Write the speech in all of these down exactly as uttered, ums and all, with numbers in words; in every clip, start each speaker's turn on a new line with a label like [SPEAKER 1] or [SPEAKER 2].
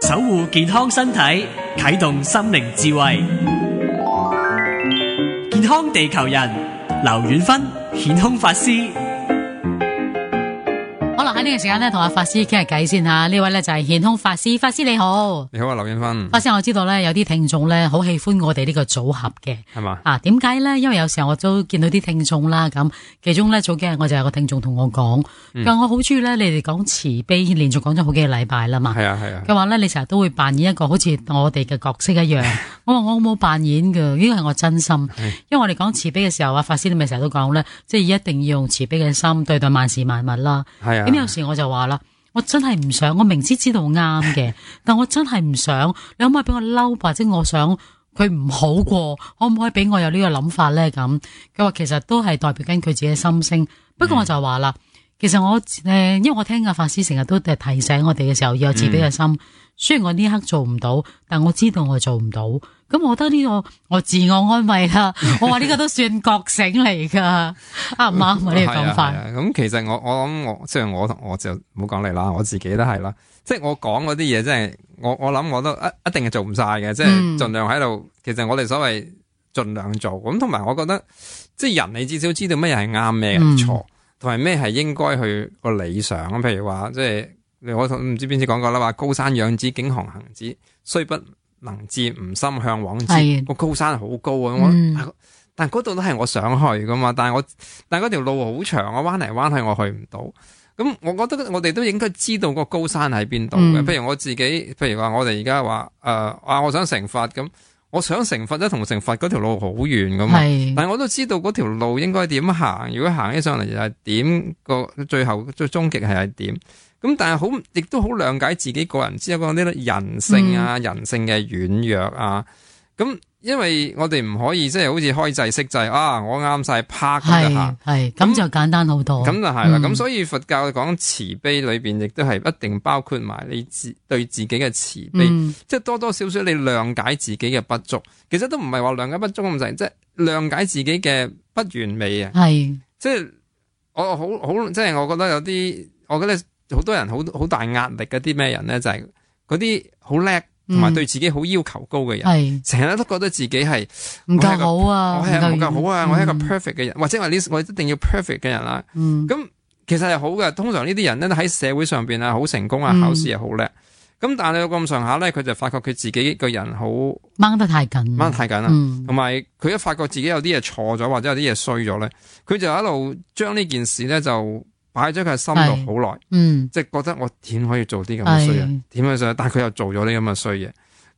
[SPEAKER 1] 守護健康身體，啟動心靈智慧。健康地球人，劉遠芬顯空法師。
[SPEAKER 2] 好啦，喺呢個時間咧，同阿法師傾下偈先吓。呢位咧就係顯空法師，法師你好。
[SPEAKER 3] 你好啊，劉遠芬。
[SPEAKER 2] 法師，我知道咧有啲聽眾咧好喜歡我哋呢個組合嘅，
[SPEAKER 3] 係嘛？
[SPEAKER 2] 啊，點解咧？因為有時候我都見到啲聽眾啦，咁其中咧早幾日我就有個聽眾同我講，佢話、嗯、我好中意咧你哋講慈悲，連續講咗好幾個禮拜啦嘛。係啊係啊。佢話咧你成日都會扮演一個好似我哋嘅角色一樣。我話我冇扮演㗎，呢個係我真心。因為我哋講慈悲嘅時候啊，法師你咪成日都講咧，即係一定要用慈悲嘅心對待萬事萬物啦。係啊。咁有時我就話啦，我真係唔想，我明知知道啱嘅，但我真係唔想。你可唔可以俾我嬲，或者我想佢唔好過，可唔可以俾我有呢個諗法咧？咁佢話其實都係代表緊佢自己嘅心聲。不過我就話啦，嗯、其實我誒、呃，因為我聽阿法師成日都提醒我哋嘅時候要有慈悲嘅心。嗯、雖然我呢刻做唔到，但我知道我做唔到。咁我覺得呢、這個我自我安慰啦，我話呢個都算覺醒嚟噶，啱唔啱啊？呢個講法。
[SPEAKER 3] 咁其實我我諗我即係我我就唔好講你啦，我自己都係啦。即係我講嗰啲嘢，即係我我諗我都一一定係做唔晒嘅，即係盡量喺度。其實我哋所謂盡量做咁，同埋我覺得即係人你至少知道咩係啱咩係錯，同埋咩係應該去個理想。譬如話即係我唔知邊次講過啦，話高山仰止，景行行止，雖不能至，吾心向往之。個高山好高啊，嗯、我但嗰度都係我想去噶嘛。但係我但係嗰條路好長，我彎嚟彎去我去唔到。咁我覺得我哋都應該知道個高山喺邊度嘅。譬如我自己，譬如話我哋而家話誒啊，我想成佛咁，我想成佛咧，同成佛嗰條路好遠噶嘛。是但係我都知道嗰條路應該點行。如果行起上嚟又係點，個最後最終極係係點。咁但係好，亦都好諒解自己個人之後嗰啲人性啊，嗯、人性嘅軟弱啊。咁因為我哋唔可以即係好似開制式制啊，我啱晒啪咁就行，係咁就簡單好多。咁就係啦。咁、嗯、所以佛教講慈悲裏邊，亦都係一定包括埋你自對自己嘅慈悲，嗯、即係多多少少你諒解自己嘅不足。其實都唔係話諒解不足咁滯，即係諒解自己嘅不完美啊。係是即係我好好，即係我覺得有啲，我覺得。好多人好好大壓力嗰啲咩人咧，就係嗰啲好叻同埋對自己好要求高嘅人，成日、嗯、都覺得自己係唔夠好啊，我係唔夠好啊，嗯、我係一個 perfect 嘅人，或者話呢我一定要 perfect 嘅人啦。咁、嗯、其實係好嘅，通常呢啲人咧喺社會上邊啊好成功啊，考試又好叻。咁、嗯、但係有咁上下咧，佢就發覺佢自己個人好
[SPEAKER 2] 掹得太緊，掹
[SPEAKER 3] 得太緊啦。同埋佢一發覺自己有啲嘢錯咗，或者有啲嘢衰咗咧，佢就一路將呢件事咧就。擺咗佢喺心度好耐，嗯，即係覺得我點可以做啲咁嘅衰嘢，點樣衰？但係佢又做咗啲咁嘅衰嘢。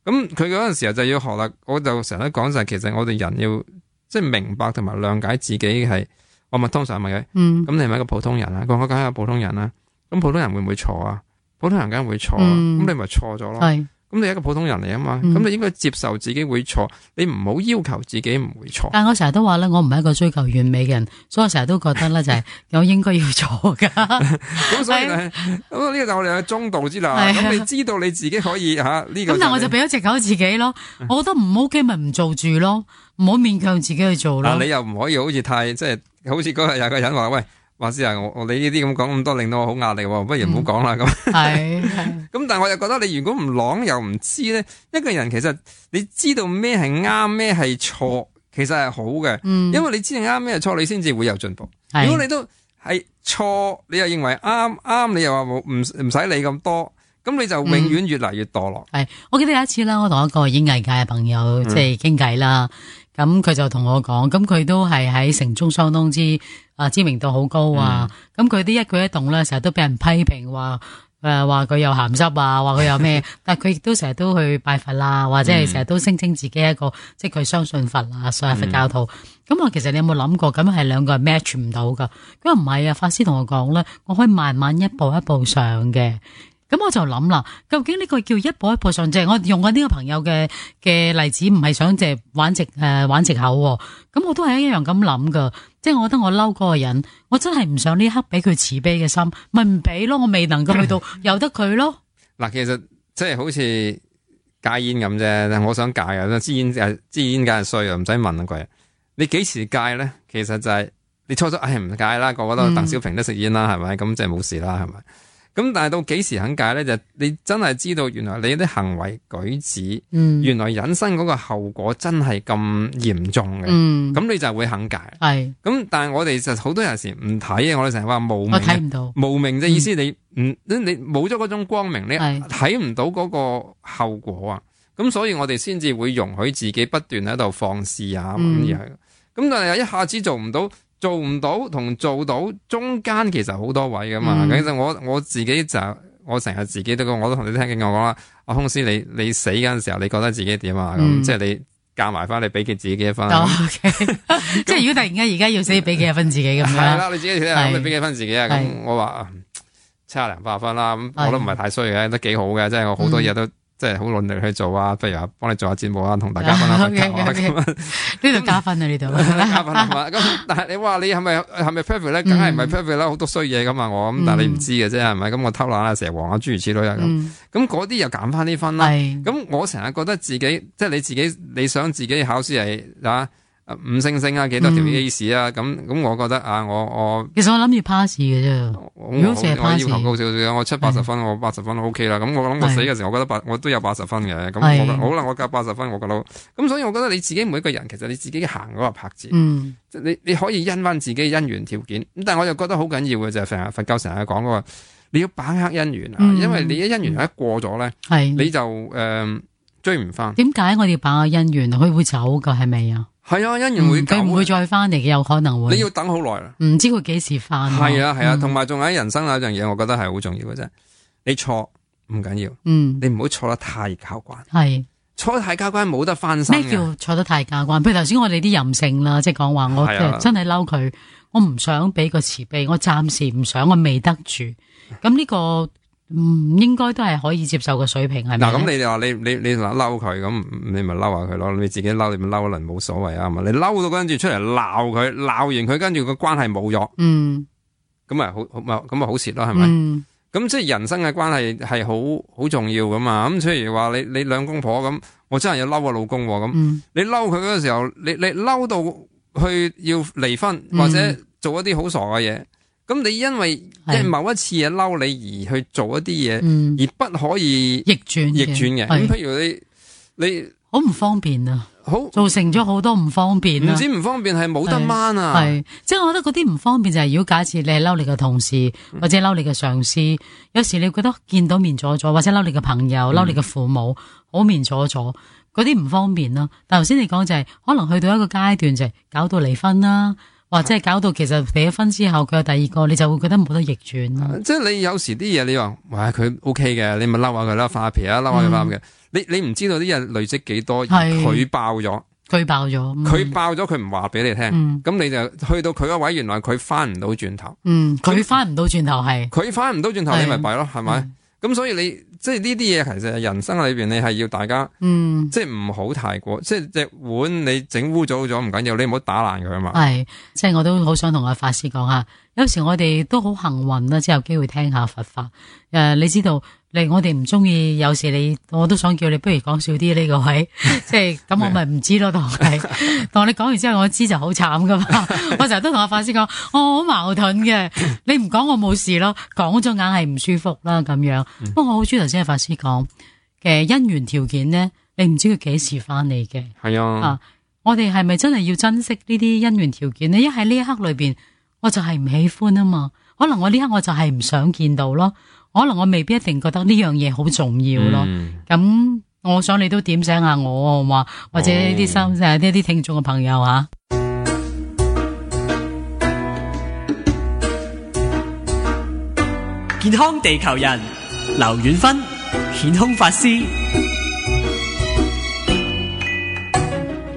[SPEAKER 3] 咁佢嗰陣時候就要學啦。我就成日都講就係，其實我哋人要即係明白同埋諒解自己係。我咪通常問佢，嗯，咁你係咪一個普通人啊？佢話我梗係一個普通人啦。咁普通人會唔會錯啊？普通人梗係會錯啊。咁、嗯、你咪錯咗咯。係。咁你係一個普通人嚟啊嘛，咁、嗯、你應該接受自己會錯，你唔好要，要求自己唔會錯。但係我成日都話咧，我唔係一個追求完美嘅人，所以我成日都覺得咧就係我應該要錯噶。咁所以咁呢個就我哋嘅中道之啦。咁你知道你自己可以吓呢、啊這個。咁但係我就俾咗藉口自己咯，我覺得唔 OK 咪唔做住咯，唔好勉強自己去做咯。你又唔可以好似太即係，好似嗰日有個人話喂。話師啊，我我你呢啲咁講咁多，令到我好壓力，不如唔好講啦咁。係咁，但係我又覺得你如果唔朗又唔知咧，一個人其實你知道咩係啱咩係錯，其實係好嘅。嗯，因為你知道啱咩係錯，你先至會有進步。是如果你都係錯，你又認為啱啱，你又話冇唔唔使理咁多，咁你就永遠越嚟越墮落。係、嗯，我記得有一次啦，我同一個演藝界嘅朋友即係傾偈啦。咁佢就同我講，咁佢都係喺城中相當之啊知名度好高啊。咁佢啲一舉一動咧，成日都俾人批評，話誒話佢有鹹濕啊，話佢有咩？但係佢亦都成日都去拜佛啦，或者係成日都聲稱自己一個即係佢相信佛啊，所謂佛教徒。咁我其實你有冇諗過，咁係兩個係 match 唔到噶？佢話唔係啊，法師同我講咧，我可以慢慢一步一步上嘅。咁我就諗啦，究竟呢個叫一步一步上，即係我用緊呢個朋友嘅嘅例子，唔係想即係玩藉誒玩藉口。咁我都係一樣咁諗噶，即係我覺得我嬲嗰個人，我真係唔想呢刻俾佢慈悲嘅心，咪唔俾咯，我未能夠去到由得佢咯。嗱，其實即係好似戒煙咁啫，我想戒啊，支煙誒支煙梗係衰啊，唔使問啊貴。你幾時戒咧？其實就係你初初唉唔戒啦，個個都鄧小平都食煙啦，係咪？咁即係冇事啦，係咪？咁但係到幾時肯戒咧？就你真係知道原來你啲行為舉止，
[SPEAKER 2] 嗯、
[SPEAKER 3] 原來引申嗰個後果真係咁嚴重嘅。咁、
[SPEAKER 2] 嗯、
[SPEAKER 3] 你就會肯戒。
[SPEAKER 2] 係。咁
[SPEAKER 3] 但係我哋就好多有時唔睇嘅，我哋成日話無明。
[SPEAKER 2] 我睇唔到。
[SPEAKER 3] 無明嘅意思你，你唔你冇咗嗰種光明，你睇唔到嗰個後果啊。咁所以我哋先至會容許自己不斷喺度放肆啊咁樣。咁、嗯、但係一下子做唔到。做唔到同做到中間其實好多位噶嘛，其實、嗯、我我自己就我成日自己都我都同你聽緊我講啦，阿空師你你死嗰陣時候你覺得自己點啊？咁、嗯、即係你夾埋翻你俾佢自己幾多分？
[SPEAKER 2] 哦 okay、即係如果突然間而家要死俾幾多分自己咁樣？係啦，
[SPEAKER 3] 你自己睇下咁你俾幾分自己啊？咁我話七廿零八十分啦，咁我都唔係太衰嘅，都幾好嘅，即係我好多嘢都。嗯即係好努力去做啊！不如話幫你做下節目啊，同大家分享分享啊咁啊！
[SPEAKER 2] 呢度加分啊！呢度
[SPEAKER 3] 加分係嘛？咁但係你話你係咪係咪 perfect 咧？梗係唔係 perfect 啦，好多衰嘢噶嘛我咁，但係你唔知嘅啫係咪？咁我偷懶啊，蛇王啊，諸如此類啊咁。咁嗰啲又減翻啲分啦。咁我成日覺得自己即係你自己，你想自己考試係啊？五星星啊，幾多條 A 試啊？咁咁、嗯，我覺得啊，我我其實我
[SPEAKER 2] 諗住 pass 嘅啫。如果成日 pass，
[SPEAKER 3] 我要求高少少，我七八十分，我八十分都 OK 啦。咁我諗我死嘅時候，我覺得八，我都有八十分嘅。咁我覺得好啦，我夾八十分，我覺得。咁所以我覺得你自己每一個人，其實你自己行嗰個拍子，嗯、你你可以因翻自己嘅因緣條件。咁但係我就覺得好緊要嘅就係成日佛教成日講嗰個，你要把握因緣啊，嗯、因為你一因緣一過咗咧，
[SPEAKER 2] 嗯、
[SPEAKER 3] 你就誒、呃、追唔翻。
[SPEAKER 2] 點解我哋要把握因緣？佢會走噶係咪啊？
[SPEAKER 3] 係啊，因緣會
[SPEAKER 2] 佢唔會再翻嚟嘅，有可能會。
[SPEAKER 3] 你要等好耐啦，
[SPEAKER 2] 唔知佢幾時翻。
[SPEAKER 3] 係啊係啊，同埋仲喺人生有一樣嘢，我覺得係好重要嘅啫。你錯唔緊要，嗯，你唔好錯得太交關。係錯得太交關冇得翻身。
[SPEAKER 2] 咩叫錯得太交關？譬如頭先我哋啲任性啦，即係講話我真係嬲佢，我唔想俾個慈悲，我暫時唔想，我未得住。咁呢個。嗯，應該都係可以接受嘅水平，係咪？
[SPEAKER 3] 嗱，咁你哋話你你你嗱嬲佢，咁你咪嬲下佢咯。你自己嬲，你咪嬲一輪冇所謂啊嘛。你嬲到跟住出嚟鬧佢，鬧完佢跟住個關係冇咗，嗯，咁咪好好咁咪好蝕咯，係咪？咁、嗯、即係人生嘅關係係好好重要噶嘛。咁譬如話你你兩公婆咁，我真係要嬲個老公咁，嗯、你嬲佢嗰個時候，你你嬲到去要離婚或者做一啲好傻嘅嘢。咁你因為即係某一次嘢嬲你而去做一啲嘢，嗯、而不可以
[SPEAKER 2] 逆轉
[SPEAKER 3] 逆轉嘅。咁譬如你你
[SPEAKER 2] 好唔方便啊，好造成咗好多唔方便啊。
[SPEAKER 3] 唔止唔方便，係冇得掹啊。
[SPEAKER 2] 係即係我覺得嗰啲唔方便就係、是、如果假設你係嬲你嘅同事或者嬲你嘅上司，嗯、有時你覺得見到面阻阻，或者嬲你嘅朋友、嬲、嗯、你嘅父母，好面阻阻，嗰啲唔方便咯。但頭先你講就係、是、可能去到一個階段就係搞到離婚啦。或者係搞到其實離咗婚之後佢有第二個，你就會覺得冇得逆轉、啊。
[SPEAKER 3] 即係你有時啲嘢你話，哇佢 OK 嘅，你咪嬲下佢啦，發下脾啊，嬲下佢翻嘅。你你唔知道啲嘢累積幾多，佢爆咗，
[SPEAKER 2] 佢爆咗，
[SPEAKER 3] 佢、嗯、爆咗，佢唔話俾你聽。咁、嗯、你就去到佢嗰位，原來佢翻唔到轉頭。嗯，
[SPEAKER 2] 佢翻唔到轉頭係，
[SPEAKER 3] 佢翻唔到轉頭，你咪弊咯，係咪？咁所以你即係呢啲嘢，其實人生裏邊你係要大家，嗯，即係唔好太過，即係隻碗你整污糟咗唔緊要，你唔好打爛佢啊嘛。係，
[SPEAKER 2] 即係我都好想同阿法師講下，有時我哋都好幸運啦，即係有機會聽下佛法。誒、呃，你知道，你我哋唔中意，有時你我都想叫你不如講少啲呢個位，即係咁我咪唔知咯，同你同你講完之後我知就好慘噶嘛。我成日都同阿法師講，我好矛盾嘅，你唔講我冇事咯，講咗硬係唔舒服啦咁樣。不過、嗯、我好中意頭先阿法師講嘅因緣條件咧，你唔知佢幾時翻嚟嘅。係啊，啊，我哋係咪真係要珍惜呢啲因緣條件呢？一喺呢一刻裏邊，我就係唔喜歡啊嘛。可能我呢刻我就係唔想見到咯。可能我未必一定覺得呢樣嘢好重要咯。咁、嗯、我想你都點醒下我好嘛？或者呢啲心誒呢啲聽眾嘅朋友吓。
[SPEAKER 1] 健康地球人劉遠芬顯空法師，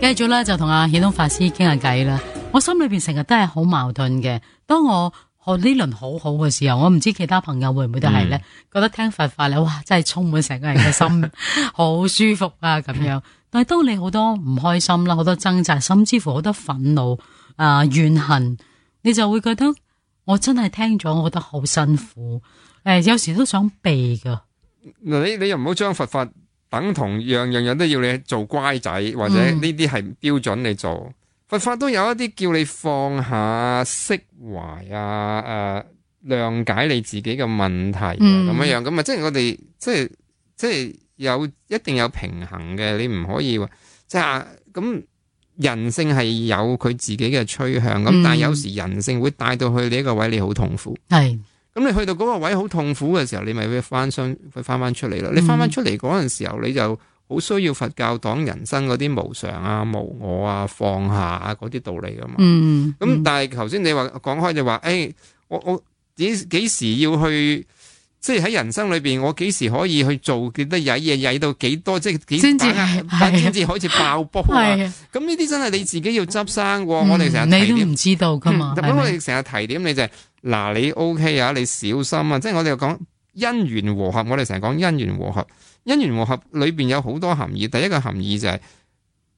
[SPEAKER 2] 繼續咧就同阿顯空法師傾下偈啦。我心裏邊成日都係好矛盾嘅。當我學呢輪好好嘅時候，我唔知其他朋友會唔會都係咧，嗯、覺得聽佛法咧，哇，真係充滿成個人嘅心，好舒服啊咁樣。但係當你好多唔開心啦，好多掙扎，甚至乎好多憤怒啊、呃、怨恨，你就會覺得我真係聽咗，我覺得好辛苦。誒、呃，有時都想避噶。
[SPEAKER 3] 嗱，你你又唔好將佛法等同樣樣樣都要你做乖仔，或者呢啲係標準你做。嗯、佛法都有一啲叫你放下釋懷啊，誒、呃，諒解你自己嘅問題咁、嗯、樣樣，咁啊即係我哋即係即係有一定有平衡嘅，你唔可以話即係咁人性係有佢自己嘅趨向，咁、嗯、但係有時人性會帶到去你一個位，你好痛苦。係。咁你去到嗰個位好痛苦嘅時候，你咪會翻身，會翻翻出嚟啦。你翻翻出嚟嗰陣時候，你就好需要佛教講人生嗰啲無常啊、無我啊、放下啊嗰啲道理噶嘛。嗯。咁、嗯、但係頭先你話講開就話，誒、欸，我我幾幾時要去，即係喺人生裏邊，我幾時可以去做幾多曳嘢，曳到幾多，即係幾先至先至開始爆煲啊？咁呢啲真係你自己要執生喎、嗯。我哋成日提點，你都唔知道噶嘛。咁、嗯、我哋成日提點你就係、是。嗱，你 OK 啊？你小心啊！即係我哋又講因緣和合，我哋成日講因緣和合。因緣和合裏邊有好多含義。第一個含義就係、是、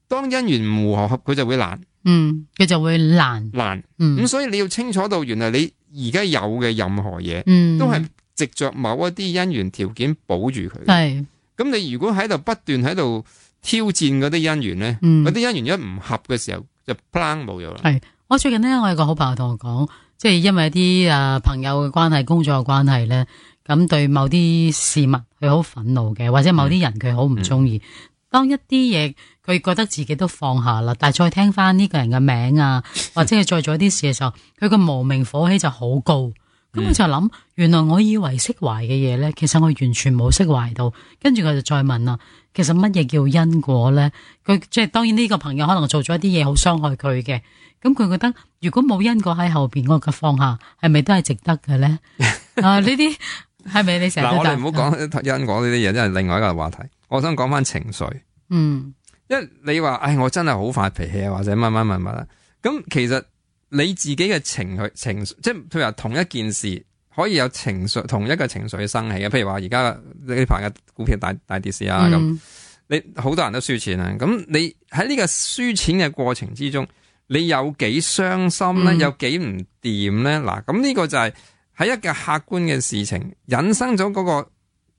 [SPEAKER 3] 當因緣唔和合，佢就會難。嗯，佢就會難難。嗯，咁所以你要清楚到，原來你而家有嘅任何嘢，嗯，都係藉着某一啲因緣條件保住佢。係。咁你如果喺度不斷喺度挑戰嗰啲因緣咧，嗰、嗯、啲因緣一唔合嘅時候，就 plan 冇咗啦。係。我最近咧，我有個好朋友同我講。即係因為啲誒朋友嘅關係、工作嘅關係咧，咁對某啲事物佢好憤怒嘅，或者某啲人佢好唔中意。當一啲嘢佢覺得自己都放下啦，但係再聽翻呢個人嘅名啊，或者係再做一啲事嘅時候，佢個無名火氣就好高。咁我就諗，原來我以為釋懷嘅嘢咧，其實我完全冇釋懷到。跟住佢就再問啦，其實乜嘢叫因果咧？佢即係當然呢個朋友可能做咗一啲嘢好傷害佢嘅。咁佢覺得如果冇因果喺後邊，我嘅放下係咪都係值得嘅咧？啊，呢啲係咪你成日嗱？我哋唔好講因果呢啲嘢，真係另外一個話題。我想講翻情緒。嗯，因為你話，唉，我真係好發脾氣啊，或者乜乜乜乜啦。咁其實你自己嘅情緒情緒，即係譬如話同一件事可以有情緒，同一個情緒生起嘅。譬如話而家呢排嘅股票大大跌市啊，咁、嗯、你好多人都輸錢啊。咁你喺呢個輸錢嘅過程之中，你有幾傷心咧、嗯？有幾唔掂咧？嗱，咁呢個就係喺一個客觀嘅事情引申咗嗰個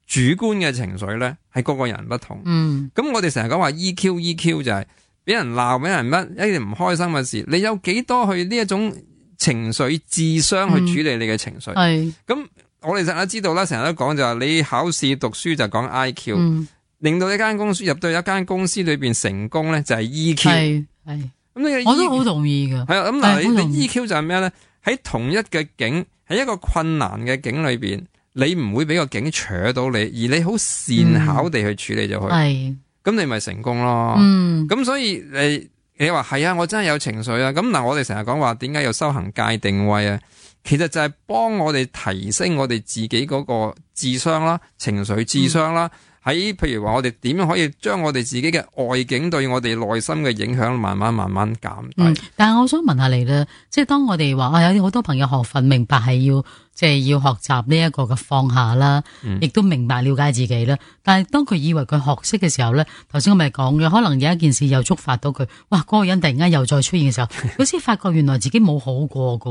[SPEAKER 3] 主觀嘅情緒咧，係個個人不同。嗯，咁我哋成日講話 E Q E Q 就係俾人鬧，俾人乜一啲唔開心嘅事，你有幾多去呢一種情緒智商去處理你嘅情緒？係、嗯、咁，我哋成日知道啦，成日都講就係你考試讀書就講 I Q，、嗯、令到一間公司入到一間公司裏邊成功咧就係 E Q。係係。咁你、E、我都好同意噶。係啊，咁嗱，你你 E Q 就係咩咧？喺同一嘅境，喺一個困難嘅境裏邊，你唔會俾個境扯到你，而你好善巧地去處理咗佢。係、嗯，咁你咪成功咯。嗯，咁所以你你話係啊，我真係有情緒啊。咁嗱，我哋成日講話點解要修行界定位啊？其實就係幫我哋提升我哋自己嗰個智商啦、情緒智商啦。嗯喺譬如話我哋點樣可以將我哋自己嘅外境對我哋內心嘅影響慢慢慢慢減低。嗯，但係我想問下你咧，即係當我哋話啊有啲好多朋友學佛明白係要即係要學習呢一個嘅放下啦，亦、嗯、都明白了解自己啦。但係當佢以為佢學識嘅時候咧，頭先我咪講嘅，可能有一件事又觸發到佢，哇！嗰、那個人突然間又再出現嘅時候，佢先發覺原來自己冇好過噶。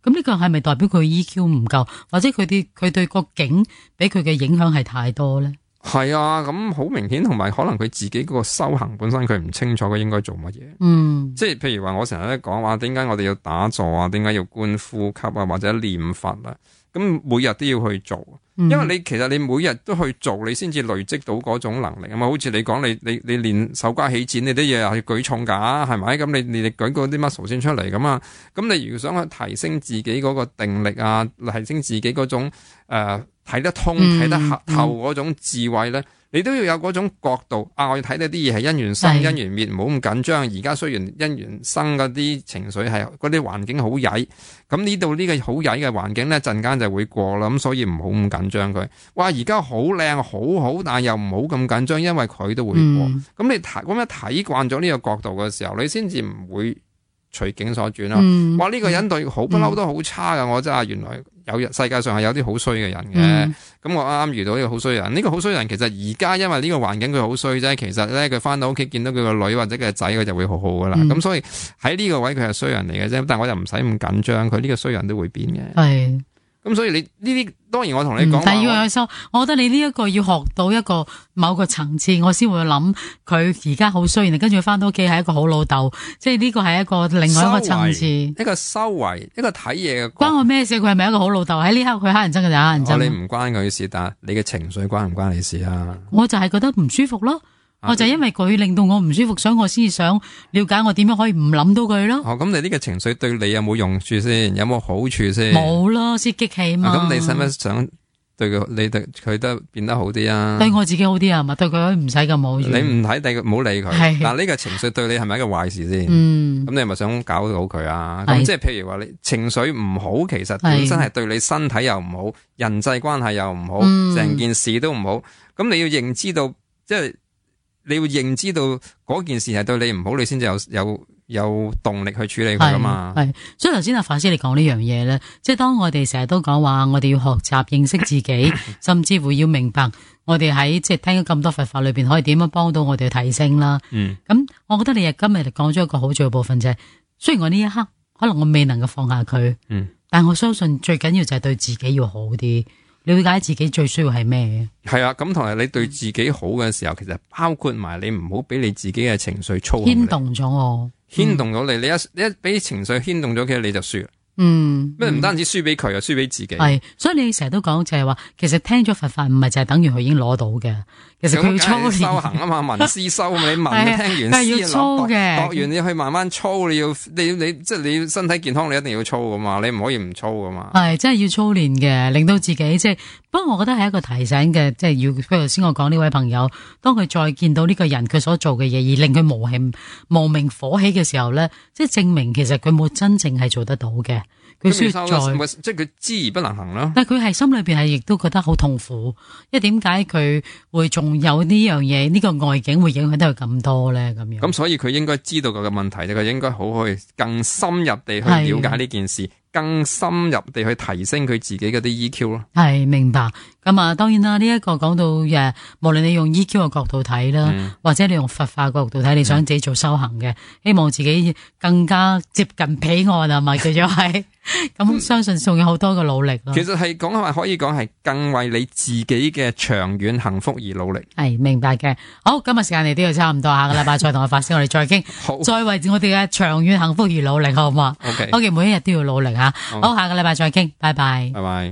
[SPEAKER 3] 咁呢個係咪代表佢 E Q 唔夠，或者佢啲佢對個境俾佢嘅影響係太多咧？係啊，咁好明顯，同埋可能佢自己嗰個修行本身佢唔清楚佢應該做乜嘢。嗯，即係譬如話我成日咧講話，點解我哋要打坐啊？點解要觀呼吸啊？或者念佛啊？咁每日都要去做，因為你其實你每日都去做，你先至累積到嗰種能力啊嘛。好似你講你你你練手瓜起剪，你啲嘢係舉重噶，係咪？咁你你你舉嗰啲 muscle 先出嚟咁啊。咁你如果想去提升自己嗰個定力啊，提升自己嗰種誒。呃睇得通、睇得透嗰種智慧咧、嗯嗯，你都要有嗰種角度啊！我要睇到啲嘢係因緣生、因緣滅，唔好咁緊張。而家雖然因緣生嗰啲情緒係嗰啲環境好曳，咁呢度呢個好曳嘅環境咧，陣間就會過啦。咁所以唔好咁緊張佢。哇！而家好靚好好，但係又唔好咁緊張，因為佢都會過。咁、嗯、你睇咁樣睇慣咗呢個角度嘅時候，你先至唔會隨境所轉啦。哇！呢、這個人對好不嬲都好差噶、嗯，我真係原來。有世界上係有啲好衰嘅人嘅，咁、嗯、我啱啱遇到呢個好衰人。呢、這個好衰人其實而家因為呢個環境佢好衰啫，其實咧佢翻到屋企見到佢個女或者佢個仔，佢就會好好噶啦。咁、嗯、所以喺呢個位佢係衰人嚟嘅啫，但係我又唔使咁緊張，佢呢個衰人都會變嘅。係咁所以你呢啲當然我同你講，
[SPEAKER 2] 但係要有收，我覺得你呢一個要學到一個某個層次，我先會諗佢而家好衰，然後跟住翻到屋企係一個好老豆，即係呢個係一個另外一個層次，
[SPEAKER 3] 一個修為，一個睇嘢嘅。
[SPEAKER 2] 關我咩事？佢係咪一個好老豆？喺呢刻佢黑人憎嘅就黑人憎。
[SPEAKER 3] 我你唔關佢事，但係你嘅情緒關唔關你事啊？
[SPEAKER 2] 我就係覺得唔舒服咯。我就因為佢令到我唔舒服，所以我先想了解我點樣可以唔諗到佢咯。
[SPEAKER 3] 哦，咁你呢個情緒對你有冇用處先？有冇好處先？
[SPEAKER 2] 冇咯，先激氣嘛。
[SPEAKER 3] 咁、啊、你使唔使想對佢，你對佢都變得好啲啊？
[SPEAKER 2] 對我自己好啲啊，咪對佢唔使咁好。
[SPEAKER 3] 你唔睇第，唔好理佢。但呢個情緒對你係咪一個壞事先？嗯。咁你係咪想搞到佢啊？咁即係譬如話你情緒唔好，其實本身係對你身體又唔好，人際關係又唔好，成、嗯、件事都唔好。咁你要認知到，即係。你要認知到嗰件事係對你唔好，你先至有有有動力去處理佢噶嘛？係，
[SPEAKER 2] 所以頭先阿法師你講呢樣嘢咧，即係當我哋成日都講話，我哋要學習認識自己，甚至乎要明白我哋喺即係聽咗咁多佛法裏邊，可以點樣幫到我哋提升啦。嗯，咁我覺得你今日講咗一個好重要部分，就係雖然我呢一刻可能我未能夠放下佢，嗯，但我相信最緊要就係對自己要好啲。了解自己最需要係咩？
[SPEAKER 3] 係啊，咁同埋你對自己好嘅時候，其實包括埋你唔好俾你自己嘅情緒操控你，
[SPEAKER 2] 牽動咗我，
[SPEAKER 3] 牽動咗你，你一你一俾情緒牽動咗，其實你就輸啦。嗯，咩唔單止輸俾佢，又輸俾自己。係，
[SPEAKER 2] 所以你成日都講就係話，其實聽咗佛法唔係就係等於佢已經攞到嘅。其實佢要操練
[SPEAKER 3] 修行啊嘛，聞思修，你聞聽完思
[SPEAKER 2] 要操嘅，
[SPEAKER 3] 學完你去慢慢操，你要你你即係你身體健康，你一定要操噶嘛，你唔可以唔操噶嘛。係，
[SPEAKER 2] 真係要操練嘅，令到自己即係。不過我覺得係一個提醒嘅，即係要譬如頭先我講呢位朋友，當佢再見到呢個人佢所做嘅嘢，而令佢無氣無名火起嘅時候咧，即係證明其實佢冇真正係做得到嘅。佢需要再
[SPEAKER 3] 即係佢知而不能行咯。
[SPEAKER 2] 但係佢係心裏邊係亦都覺得好痛苦，因為點解佢會仲有呢樣嘢？呢個外境會影響到佢咁多咧？咁樣咁
[SPEAKER 3] 所以佢應該知道佢嘅問題，佢應該好去更深入地去了解呢件事。更深入地去提升佢自己嗰啲 E Q 咯，
[SPEAKER 2] 係明白。咁啊，當然啦，呢、這、一個講到誒，無論你用 E Q 嘅角度睇啦、嗯，或者你用佛法角度睇，你想自己做修行嘅、嗯，希望自己更加接近彼岸啊，咪叫做係。咁相信仲有好多嘅努力咯。
[SPEAKER 3] 其實係講話可以講係更為你自己嘅長遠幸福而努力。
[SPEAKER 2] 係明白嘅。好，今日時間嚟到就差唔多，下個禮拜再同我發聲，我哋再傾，再為我哋嘅長遠幸福而努力，好唔好？OK，OK，每一日都要努力吓。好，下個禮拜再傾，拜拜。
[SPEAKER 3] 拜拜。